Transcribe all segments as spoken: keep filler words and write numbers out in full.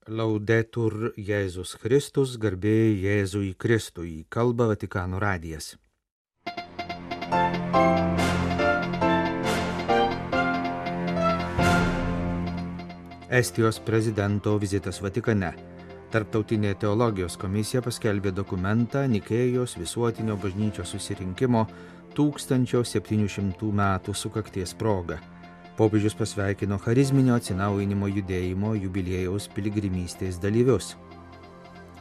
Laudetur Jėzus Kristus, garbė Jėzui Kristui, kalba Vatikano radijas. Estijos prezidento vizitas Vatikane. Tarptautinė teologijos komisija paskelbė dokumentą Nikėjos visuotinio bažnyčios susirinkimo tūkstančio septynių šimtų metų sukakties proga. Popiežius pasveikino charizminio atsinaujinimo judėjimo jubiliejaus piligrimystės dalyvius.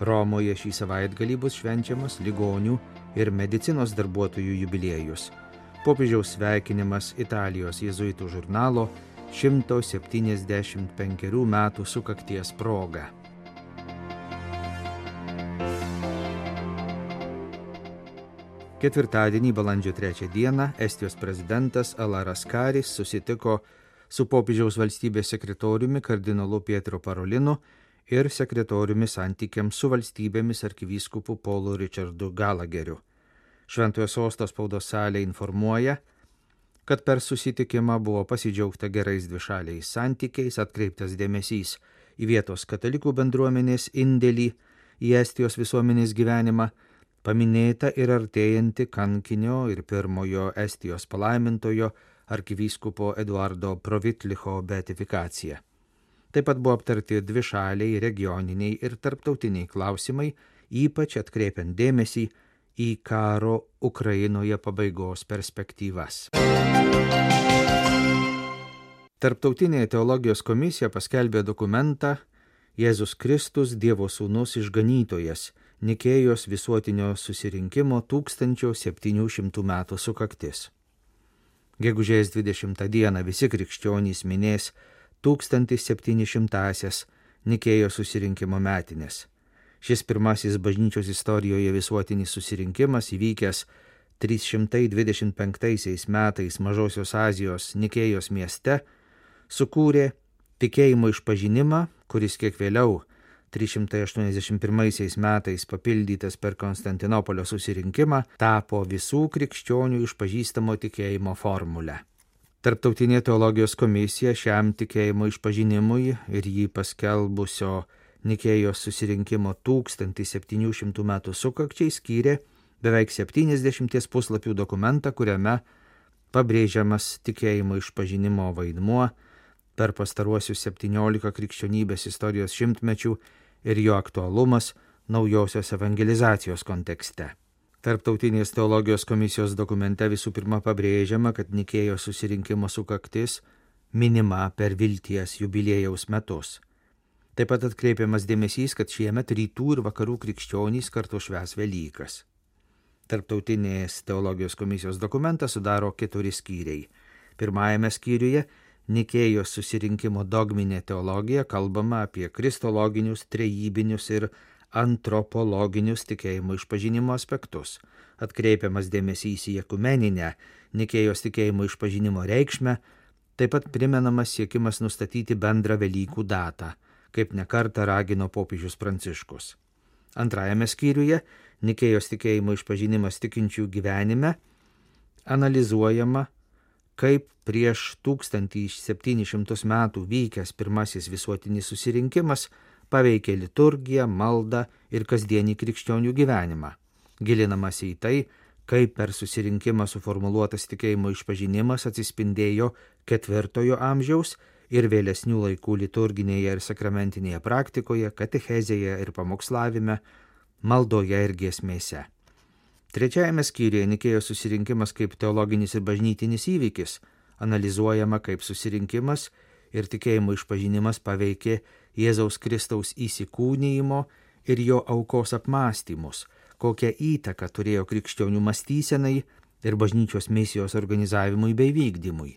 Romoje šį savaitgalį bus švenčiamas ligonių ir medicinos darbuotojų jubiliejus. Popiežiaus sveikinimas Italijos jėzuitų žurnalo šimto septyniasdešimt penkerių metų sukakties proga. Ketvirtadienį, balandžio trečią dieną, Estijos prezidentas Alaras Karis susitiko su popiežiaus valstybės sekretoriumi kardinolu Pietro Parolinu ir sekretoriumi santykiams su valstybėmis arkivyskupu Paulu Richardu Galageriu. Šventojo sosto spaudos salė informuoja, kad per susitikimą buvo pasidžiaugta gerais dvišaliais santykiais, atkreiptas dėmesys į vietos katalikų bendruomenės indėlį į Estijos visuomenės gyvenimą, paminėta ir artėjanti kankinio ir pirmojo Estijos palaimintojo arkivyskupo Eduardo Provitlicho beatifikacija. Taip pat buvo aptarti dvišaliai, regioniniai ir tarptautiniai klausimai, ypač atkreipiant dėmesį į karo Ukrainoje pabaigos perspektyvas. Tarptautinė teologijos komisija paskelbė dokumentą Jėzus Kristus, Dievo sūnus išganytojas, Nikėjos visuotinio susirinkimo tūkstančio septynių šimtų metų sukaktis. Gegužės dvidešimtą dieną visi krikščionys minės tūkstantis septyni šimtąsias Nikėjos susirinkimo metinės. Šis pirmasis bažnyčios istorijoje visuotinis susirinkimas įvykęs trys šimtai dvidešimt penktaisiais metais Mažosios Azijos Nikėjos mieste sukūrė tikėjimo išpažinimą, kuris kiek vėliau trys šimtai aštuoniasdešimt pirmaisiais metais papildytas per Konstantinopolio susirinkimą, tapo visų krikščionių išpažįstamo tikėjimo formulę. Tarptautinė teologijos komisija šiam tikėjimo išpažinimui ir jį paskelbusio Nikėjos susirinkimo tūkstantis septynių šimtų metų sukakčiai skyrė beveik septyniasdešimties puslapių dokumentą, kuriame pabrėžiamas tikėjimo išpažinimo vaidmuo per pastaruosius septyniolika krikščionybės istorijos šimtmečių ir jo aktualumas naujosios evangelizacijos kontekste. Tarptautinės teologijos komisijos dokumente visų pirma pabrėžiama, kad Nikėjos susirinkimo sukaktis minima per vilties jubiliejaus metus. Taip pat atkreipiamas dėmesys, kad šiemet rytų ir vakarų krikščionys kartu švęs Velykas. Tarptautinės teologijos komisijos dokumentą sudaro keturi skyriai. Pirmajame skyriuje Nikėjos susirinkimo dogminė teologija kalbama apie kristologinius, trejybinius ir antropologinius tikėjimo išpažinimo aspektus. Atkreipiamas dėmesys į ekumeninę Nikėjos tikėjimo išpažinimo reikšmę, taip pat primenamas siekimas nustatyti bendrą Velykų datą, kaip nekartą ragino popiežius Pranciškus. Antrajame skyriuje Nikėjos tikėjimo išpažinimas tikinčių gyvenime analizuojama, kaip prieš tūkstantis septynis šimtus metų vykęs pirmasis visuotinis susirinkimas paveikė liturgiją, maldą ir kasdienį krikščionių gyvenimą. Gilinamasi į tai, kaip per susirinkimą suformuluotas tikėjimo išpažinimas atsispindėjo ketvirtojo amžiaus ir vėlesnių laikų liturginėje ir sakramentinėje praktikoje, katechezėje ir pamokslavime, maldoje ir giesmėse. Trečiajame skyriuje Nikėjos susirinkimas kaip teologinis ir bažnytinis įvykis, analizuojama kaip susirinkimas ir tikėjimo išpažinimas paveikė Jėzaus Kristaus įsikūnijimo ir jo aukos apmąstymus, kokią įtaką turėjo krikščionių mąstysenai ir bažnyčios misijos organizavimui bei vykdymui.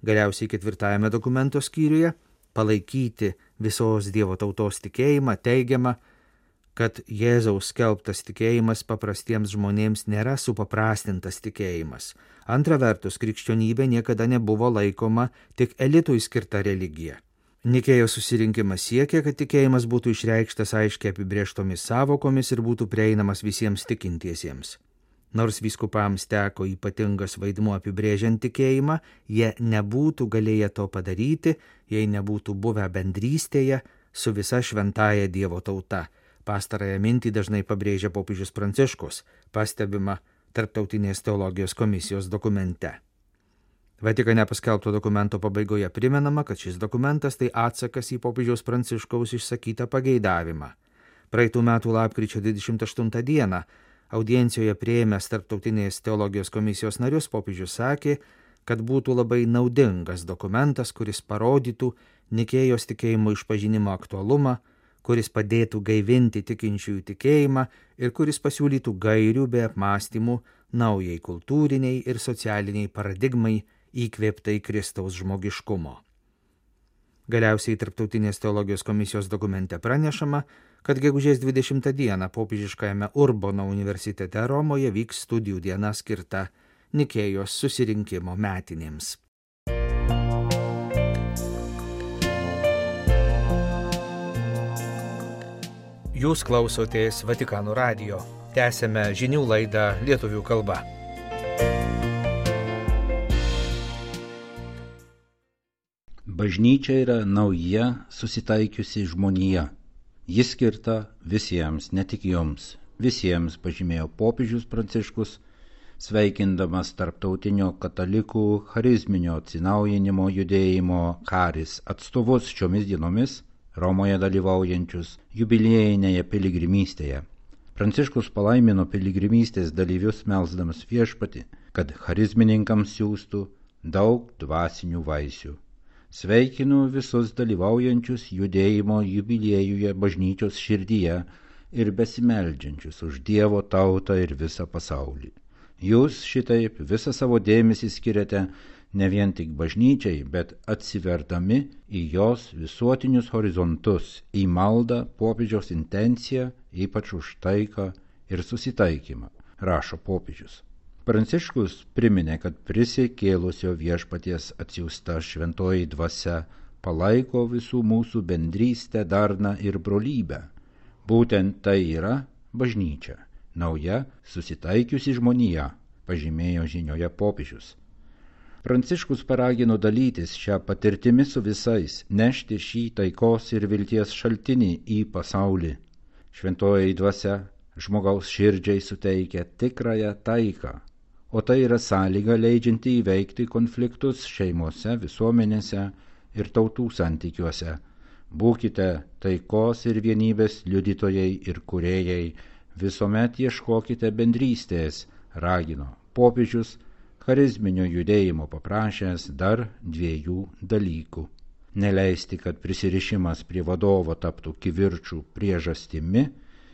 Galiausiai ketvirtajame dokumento skyriuje palaikyti visos Dievo tautos tikėjimą teigiama, kad Jėzaus skelbtas tikėjimas paprastiems žmonėms nėra supaprastintas tikėjimas. Antra vertus, krikščionybė niekada nebuvo laikoma tik elitui skirta religija. Nikėjos susirinkimas siekia, kad tikėjimas būtų išreikštas aiškiai apibrėžtomis savokomis ir būtų prieinamas visiems tikintiesiems. Nors vyskupams teko ypatingas vaidmuo apibrėžiant tikėjimą, jie nebūtų galėję to padaryti, jei nebūtų buvę bendrystėje su visa šventąja Dievo tauta. Pastarąją mintį dažnai pabrėžia popiežius Pranciškus, pastebima Tarptautinės teologijos komisijos dokumente. Vatikane paskelbto dokumento pabaigoje primenama, kad šis dokumentas tai atsakas į popiežiaus Pranciškaus išsakytą pageidavimą. Praeitų metų lapkričio dvidešimt aštuntą dieną audiencijoje priėmęs Tarptautinės teologijos komisijos narius popiežius sakė, kad būtų labai naudingas dokumentas, kuris parodytų Nikėjos tikėjimo išpažinimo aktualumą, kuris padėtų gaivinti tikinčiųjų tikėjimą ir kuris pasiūlytų gairių bei apmąstymų naujai kultūriniai ir socialiniai paradigmai įkvėptai Kristaus žmogiškumo. Galiausiai Tarptautinės teologijos komisijos dokumente pranešama, kad gegužės dvidešimtą dieną popiežiškajame Urbono universitete Romoje vyks studijų diena skirta Nikėjos susirinkimo metinėms. Jūs klausotės Vatikano radijo. Tęsėme žinių laidą lietuvių kalba. Bažnyčia yra nauja susitaikiusi žmonija. Jis skirta visiems, ne tik jums. Visiems, pažymėjo popiežius Pranciškus, sveikindamas tarptautinio katalikų charizminio atsinaujinimo judėjimo Charis atstovus šiomis dienomis Romoje dalyvaujančius jubiliejinėje piligrimystėje. Pranciškus palaimino piligrimystės dalyvius melsdamas Viešpatį, kad charizmininkams siųstų daug dvasinių vaisių. Sveikinu visus dalyvaujančius judėjimo jubiliejuje bažnyčios širdyje ir besimeldžiančius už Dievo tautą ir visą pasaulį. Jūs šitaip visą savo dėmesį skiriate ne vien tik bažnyčiai, bet atsiverdami į jos visuotinius horizontus, į maldą popiežiaus intenciją, ypač už taiką ir susitaikymą, rašo popiežius. Pranciškus priminė, kad prisikėlusio Viešpaties atsiųsta šventoji dvasia palaiko visų mūsų bendrystę, darną ir brolybę. Būtent tai yra bažnyčia, nauja susitaikiusi žmonija, pažymėjo žinioje popiežius. Pranciškus paragino dalytis šią patirtimį su visais, nešti šį taikos ir vilties šaltinį į pasaulį. Šventoji dvasia žmogaus širdžiai suteikia tikrąją taiką, o tai yra sąlyga leidžianti įveikti konfliktus šeimose, visuomenėse ir tautų santykiuose. Būkite taikos ir vienybės liudytojai ir kūrėjai, visuomet ieškokite bendrystės, ragino popiežius, charizminio judėjimo paprašęs dar dviejų dalykų. Neleisti, kad prisirišimas prie vadovo taptų kivirčų priežastimi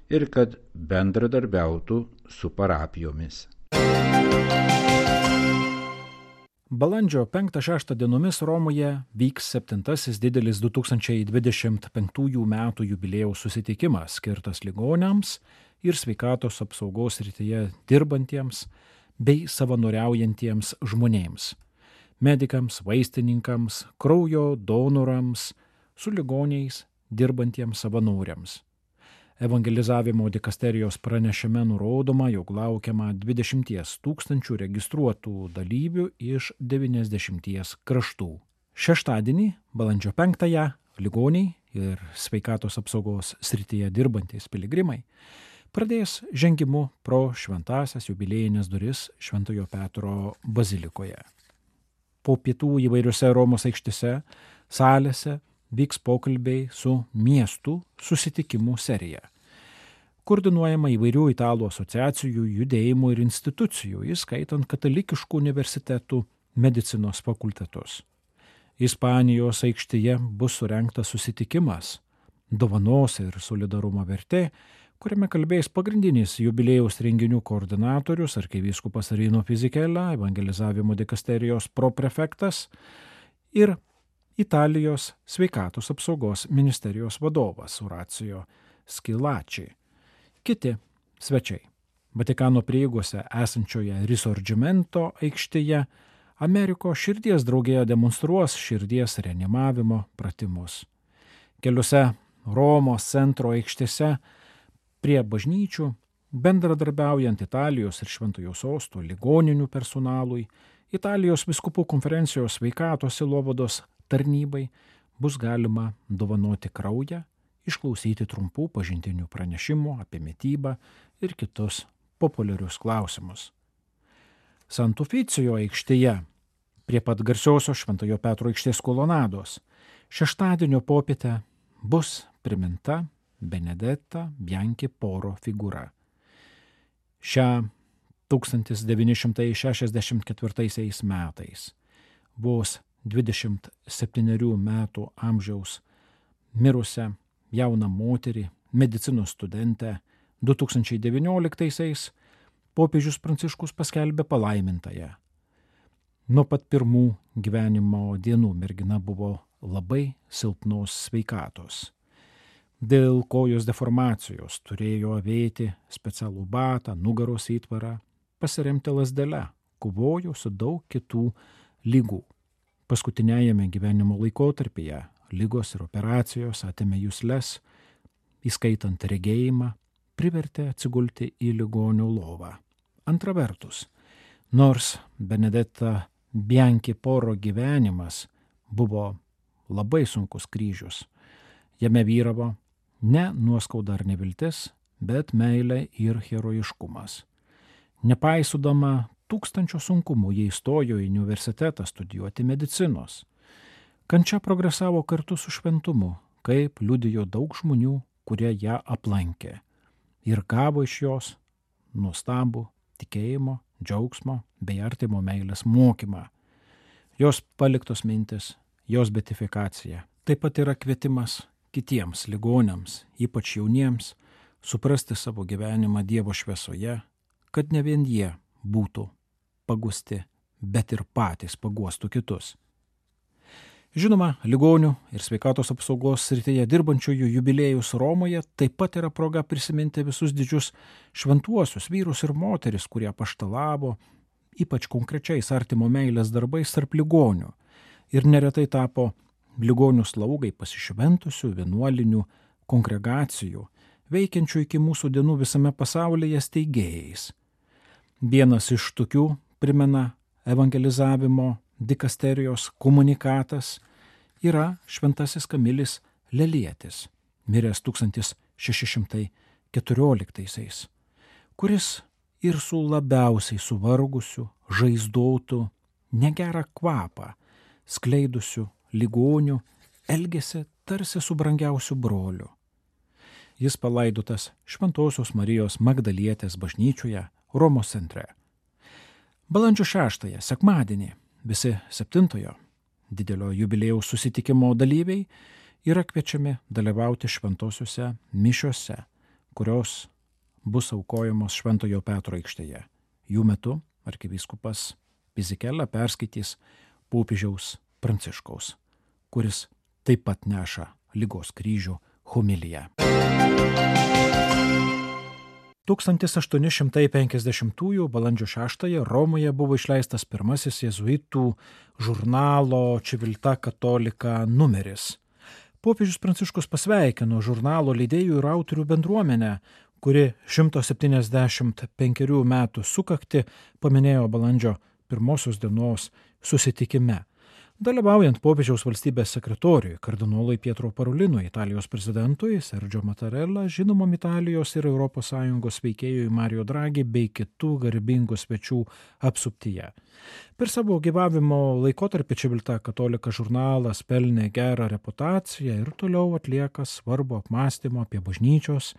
ir kad bendradarbiautų su parapijomis. Balandžio penktą šeštą dienomis Romoje vyks septintasis didelis du tūkstančiai dvidešimt penktųjų metų jubiliejaus susitikimas skirtas ligoniams ir sveikatos apsaugos srityje dirbantiems bei savanoriaujantiems žmonėms, medikams, vaistininkams, kraujo donorams, su ligoniais dirbantiems savanoriams. Evangelizavimo dikasterijos pranešime nurodoma, jog laukiama dvidešimties tūkstančių registruotų dalyvių iš devyniasdešimties kraštų. Šeštadienį, balandžio penktąją, ligoniai ir sveikatos apsaugos srityje dirbantys piligrimai pradės žengimu pro šventąsias jubiliejines duris Šventojo Petro bazilikoje. Po pietų įvairiose Romos aikštėse, salėse vyks pokalbiai su miestų susitikimų serija, koordinuojama įvairių italų asociacijų, judėjimų ir institucijų, įskaitant katalikiškų universitetų medicinos fakultetus. Ispanijos aikštėje bus surengtas susitikimas Dovanos ir solidarumo vertė, kuriame kalbės pagrindinis jubiliejaus renginių koordinatorius arkivyskupas Rino Fisichella, evangelizavimo dikasterijos proprefektas ir Italijos sveikatos apsaugos ministerijos vadovas Horacio Schillaci. Kiti svečiai. Vatikano prieigose esančioje Risorgimento aikštėje Amerikos širdies draugija demonstruos širdies reanimavimo pratimus. Keliose Romos centro aikštėse prie bažnyčių, bendradarbiaujant Italijos ir Šventojo Sosto ligoninių personalui, Italijos vyskupų konferencijos sveikatos sielovados tarnybai, bus galima dovanoti kraują, išklausyti trumpų pažintinių pranešimų apie mitybą ir kitus populiarius klausimus. Sant'Uficio aikštėje, prie pat garsiosios Šventojo Petro aikštės kolonados, šeštadienio popietę bus priminta Benedetta Bianchi Poro figūra. Šią tūkstantis devyni šimtai šešiasdešimt ketvirtaisiais metais, vos dvidešimt septynerių metų amžiaus mirusią jauną moterį, medicinos studentę, du tūkstančiai devynioliktaisiais popiežius Pranciškus paskelbė palaimintąją. Nuo pat pirmų gyvenimo dienų mergina buvo labai silpnos sveikatos. Dėl kojos deformacijos turėjo avėti specialų batą, nugaros įtvarą, pasiremti lazdele, kovojo su daug kitų lygų. Paskutiniajame gyvenimo laikotarpyje ligos ir operacijos atėmė jusles, įskaitant regėjimą, privertė atsigulti į ligonio lovą. Antra vertus, nors Benedetta Bianchi Poro gyvenimas buvo labai sunkus kryžius, jame vyravo ne nuoskauda ar neviltis, bet meilė ir herojiškumas. Nepaisudama tūkstančio sunkumų, jie įstojo į universitetą studijuoti medicinos. Kančia progresavo kartu su šventumu, kaip liudijo daug žmonių, kurie ją aplankė ir gavo iš jos nuostabų tikėjimo, džiaugsmo bei artimo meilės mokymą. Jos paliktos mintis, jos beatifikacija taip pat yra kvietimas kitiems ligoniams, ypač jauniems, suprasti savo gyvenimą Dievo šviesoje, kad ne vien jie būtų pagusti, bet ir patys paguostų kitus. Žinoma, ligonių ir sveikatos apsaugos srityje dirbančiųjų jubiliejus Romoje taip pat yra proga prisiminti visus didžius šventuosius vyrus ir moteris, kurie apaštalavo, ypač konkrečiais artimo meilės darbais tarp ligonių ir neretai tapo ligonių slaugai pasišventusių vienuolinių kongregacijų, veikiančių iki mūsų dienų visame pasaulyje steigėjais. Vienas iš tokių primena evangelizavimo dikasterijos komunikatas yra šventasis Kamilis Lelietis, miręs tūkstantis šeši šimtai keturioliktaisiais, kuris ir su labiausiai suvargusiu, žaizdotu, negerą kvapą, skleidusiu ligonių, elgėsi tarsi su brangiausiu broliu. Jis palaidotas Šventosios Marijos Magdalietės bažnyčioje Romos centre. Balandžio šeštąją, sekmadienį, visi septintojo didelio jubiliejaus susitikimo dalyviai yra kviečiami dalyvauti šventosiuose mišiose, kurios bus aukojamos Šventojo Petro aikštėje. Jų metu arkivyskupas Pizikela perskaitys popiežiaus Pranciškaus, kuris taip pat neša ligos kryžių homiliją. tūkstantis aštuoni šimtai penkiasdešimtųjų balandžio šeštąją Romoje buvo išleistas pirmasis jėzuitų žurnalo Civiltà Cattolica numeris. Popiežius Pranciškus pasveikino žurnalo leidėjų ir autorių bendruomenę, kuri šimto septyniasdešimt penkerių metų sukaktį paminėjo balandžio pirmosios dienos susitikime. Dalyvaujant popiežiaus valstybės sekretoriui, kardinolui Pietro Parolinui, Italijos prezidentui Sergio Mattarella, žinomam Italijos ir Europos Sąjungos veikėjui Mario Draghi bei kitų garbingų svečių apsuptyje. Per savo gyvavimo laikotarpį Civiltà Cattolica žurnalas pelnė gerą reputaciją ir toliau atlieka svarbų apmąstymo apie bažnyčios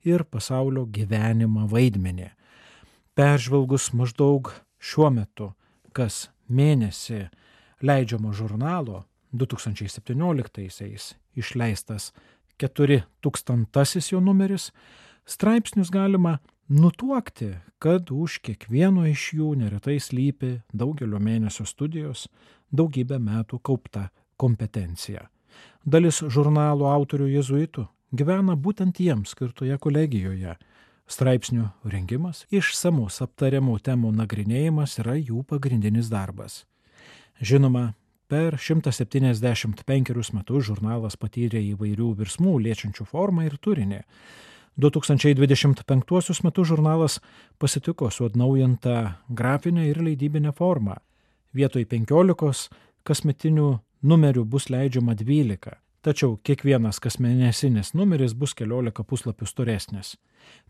ir pasaulio gyvenimą vaidmenį. Peržvelgus maždaug šiuo metu, kas mėnesį leidžiamo žurnalo du tūkstančiai septynioliktaisiais išleistas keturi tūkstantasis jo numeris, straipsnius galima nutuokti, kad už kiekvieno iš jų neretai slypi daugelio mėnesio studijos, daugybę metų kaupta kompetencija. Dalis žurnalo autorių jėzuitų gyvena būtent jiems skirtoje kolegijoje. Straipsnių rengimas, išsamus aptariamų temų nagrinėjimas yra jų pagrindinis darbas. Žinoma, per šimtą septyniasdešimt penkerius metus žurnalas patyrė įvairių virsmų liečiančių formą ir turinį. du tūkstančiai dvidešimt penktuosius metus žurnalas pasitiko su atnaujinta grafinė ir leidybinė forma. Vietoj penkiolikos kasmetinių numerių bus leidžiama dvylika, tačiau kiekvienas kasmėnesinis numeris bus keliolika puslapių storesnis.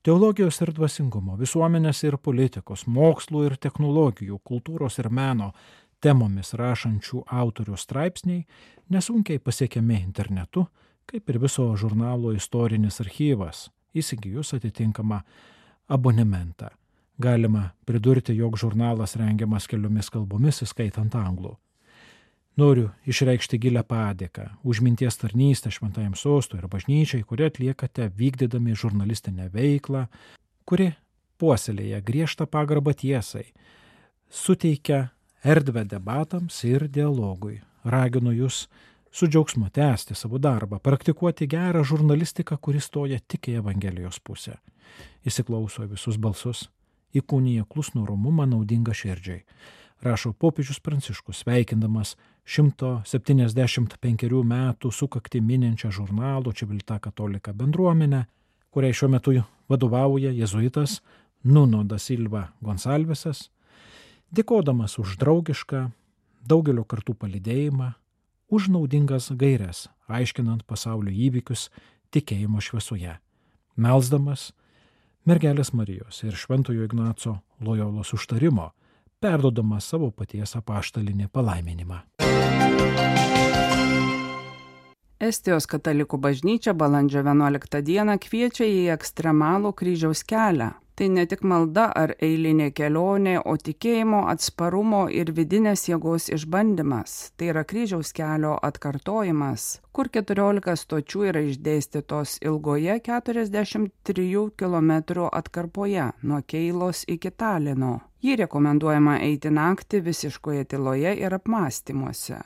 Teologijos ir dvasingumo, visuomenės ir politikos, mokslų ir technologijų, kultūros ir meno temomis rašančių autorių straipsniai nesunkiai pasiekiami internetu, kaip ir viso žurnalo istorinis archyvas, įsigijus atitinkamą abonementą. Galima pridurti, jog žurnalas rengiamas keliomis kalbomis, įskaitant anglų. Noriu išreikšti gilę padėką už minties tarnystę šventajam sostui ir bažnyčiai, kurie atliekate vykdydami žurnalistinę veiklą, kuri puoselėja griežtą pagarbą tiesai, suteikia erdvę debatams ir dialogui. Raginu jūs su džiaugsmu tęsti savo darbą, praktikuoti gerą žurnalistiką, kuris stoja tik į Evangelijos pusę. Įsiklauso visus balsus, įkūnija klusnų romumą naudingą širdžiai. Rašo popiežius Pranciškus, sveikindamas šimto septyniasdešimt penkerių metų sukaktį mininčią žurnalo Civiltà Cattolica bendruomenę, kuriai šiuo metu vadovauja jėzuitas Nuno da Silva Gonsalvesas, dėkodamas už draugišką, daugelio kartų palydėjimą, už naudingas gaires, aiškinant pasaulio įvykius tikėjimo šviesoje, melsdamas mergelės Marijos ir Šventojo Ignaco Lojolos užtarimo, perduodama savo paties apaštalinį palaiminimą. Estijos katalikų bažnyčia balandžio vienuoliktą dieną kviečia į ekstremalų kryžiaus kelią. Tai ne tik malda ar eilinė kelionė, o tikėjimo, atsparumo ir vidinės jėgos išbandymas. Tai yra kryžiaus kelio atkartojimas, kur keturiolika stočių yra išdėstytos ilgoje keturiasdešimt trijų kilometrų atkarpoje nuo Keilos iki Talino. Jį rekomenduojama eiti naktį visiškoje tyloje ir apmąstymuose.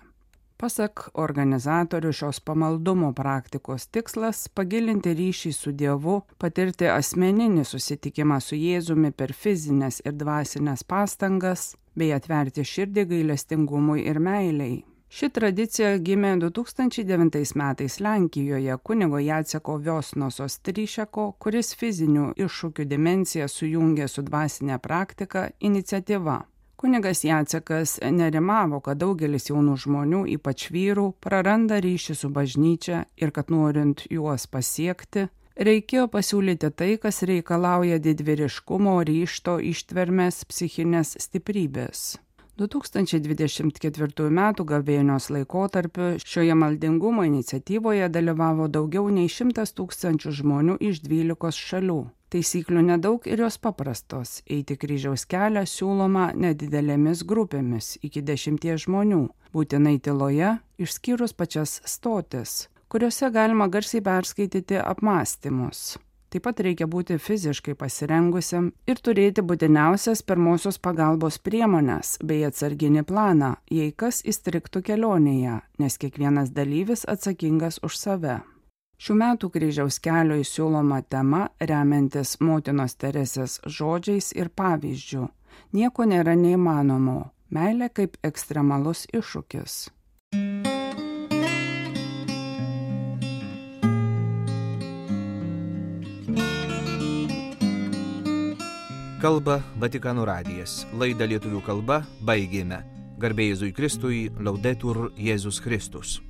Pasak organizatorių, šios pamaldumo praktikos tikslas – pagilinti ryšį su Dievu, patirti asmeninį susitikimą su Jėzumi per fizinės ir dvasinės pastangas, bei atverti širdį gailestingumui ir meilei. Ši tradicija gimė du tūkstančiai devintais metais Lenkijoje kunigo Jaceko Viosnoso Stryšeko, kuris fizinių iššūkių dimensiją sujungė su dvasinė praktika iniciatyva. Kunigas Jacekas nerimavo, kad daugelis jaunų žmonių, ypač vyrų, praranda ryšį su bažnyčia ir kad norint juos pasiekti, reikėjo pasiūlyti tai, kas reikalauja didvyriškumo, ryžto, ištvermės, psichinės stiprybės. du tūkstančiai dvidešimt ketvirtųjų metų gavėnios laikotarpiu šioje maldingumo iniciatyvoje dalyvavo daugiau nei šimtas tūkstančių žmonių iš dvylikos šalių. Taisyklių nedaug ir jos paprastos. Eiti kryžiaus kelią siūloma nedidelėmis grupėmis iki dešimties žmonių, būtinai tyloje, išskyrus pačias stotis, kuriuose galima garsiai perskaityti apmąstymus. Taip pat reikia būti fiziškai pasirengusiam ir turėti būtiniausias pirmosios pagalbos priemones bei atsarginį planą, jei kas įstrigtų kelionėje, nes kiekvienas dalyvis atsakingas už save. Šių metų kryžiaus kelio įsiūloma tema remiantis motinos Teresės žodžiais ir pavyzdžių. Nieko nėra neįmanomo. Meilė kaip ekstremalus iššūkis. Kalba Vatikano radijas. Laidą lietuvių kalba baigėme. Garbė Jėzui Kristui, Laudetur Jėzus Kristus.